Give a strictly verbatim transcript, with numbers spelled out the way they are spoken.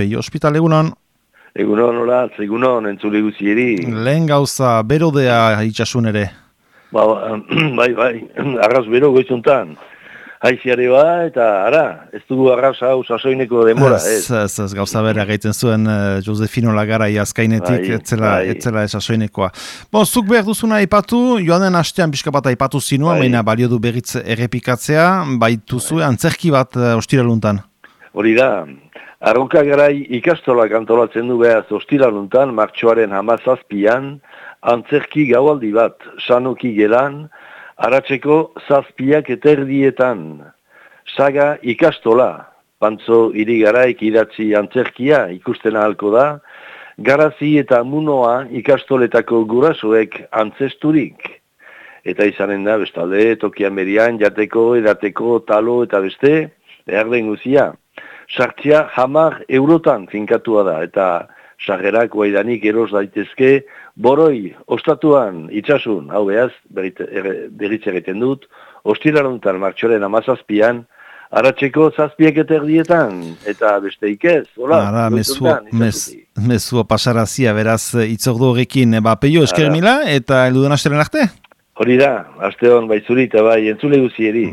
Peio Ospital, egunon? Egunon, hola, egunon, entzule guzieri. Lehen gauza, berodea itxasun ere. Ba, bai, bai, arras bero goizuntan. Haiziare ba, eta ara, ez dugu arras hau sasoineko denbora, ez? Ez, ez, ez gauza bera gaiten zuen uh, Josefino Lagarai azkainetik, Bai, etzela, bai. etzela sasoinekoa. Bon, zuk behar duzuna aipatu, joan den hastean pixka bat aipatu zinua, Bai. baina balio du berriz errepikatzea, baituzu antzerki bat uh, ostiraluntan. Hori da, Arroka Garai ikastolak antolatzen du behaz ostiraluntan, martxoaren hamazazpian, antzerki gaualdi bat, sanoki gelan, aratzeko zazpiak eterdietan. Saga ikastola, pantzo irigaraik idatzi antzerkia ikusten ahalko da, garazi eta munoa ikastoletako gurasoek antzesturik. Eta izanen da, bestalde, tokian berian, jateko, edateko, talo eta beste, behar den guzia. Sartzia hamar eurotan finkatua da, eta sarrerak guaidanik eros daitezke, boroi, ostatuan, itxasun, hau behaz, berritz egiten dut, ostiraluntan martxoren amazazpian, aratzeko zazpiek eterdietan, eta beste ikez, hola, Ara, mezua, mez, mezua pasarazia, beraz, itzordu horrekin, ba, Peio, esker mila, eta elduden asteren arte? Hori da, aste hon baizuri eta bai entzule guzieri.